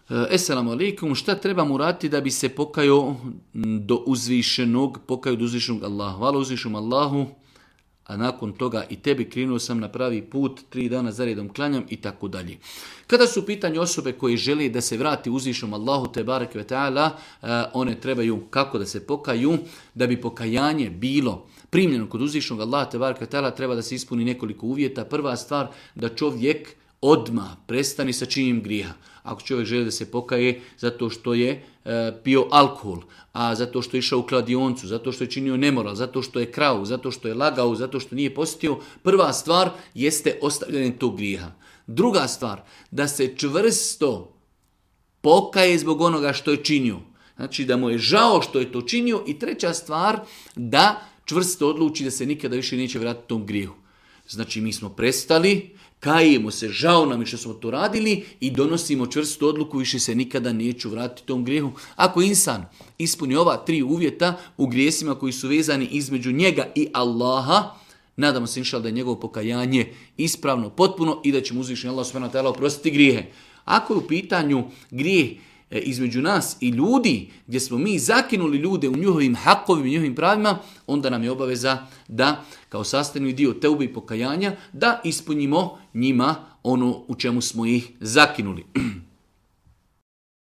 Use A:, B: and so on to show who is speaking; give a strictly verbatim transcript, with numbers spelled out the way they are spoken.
A: Esselamu alaikum, šta trebamo uraditi da bi se pokajao do uzvišenog, pokajao do uzvišenog Allaha? Hvala uzvišenom Allahu, a nakon toga i tebi krenuo sam na pravi put, tri dana zaredom klanjam i tako dalje. Kada su u pitanju osobe koje žele da se vrati uzvišenom Allahu te bareke ve taala, one trebaju kako da se pokaju, da bi pokajanje bilo primljeno kod uzvišenog Allaha te bareke ve taala, treba da se ispuni nekoliko uvjeta. Prva stvar, da čovjek odmah prestani sa činjenjem grijeha. Ako čovjek želi da se pokaje zato što je e, pio alkohol, a zato što je išao u kladioncu, zato što je činio nemoral, zato što je krao, zato što je lagao, zato što nije postio, prva stvar jeste ostavljanje tog grijeha. Druga stvar, da se čvrsto pokaje zbog onoga što je činio. Znači da mu je žao što je to činio. I treća stvar, da čvrsto odluči da se nikada više neće vratiti tom grijehu. Znači mi smo prestali, kajemo se, žao nam je što smo to radili i donosimo čvrstu odluku, više se nikada neću vratiti tom grijehu. Ako insan ispuni ova tri uvjeta u grijesima koji su vezani između njega i Allaha, nadamo se inšal da je njegovo pokajanje ispravno, potpuno i da će mu uzvišeni Allah subhanahu wa ta'ala oprostiti grijehe. Ako je u pitanju grijeh između nas i ljudi, gdje smo mi zakinuli ljude u njihovim hakovima i njihovim pravima, onda nam je obaveza da, kao sastavni dio teube i pokajanja, da ispunimo njima ono u čemu smo ih zakinuli.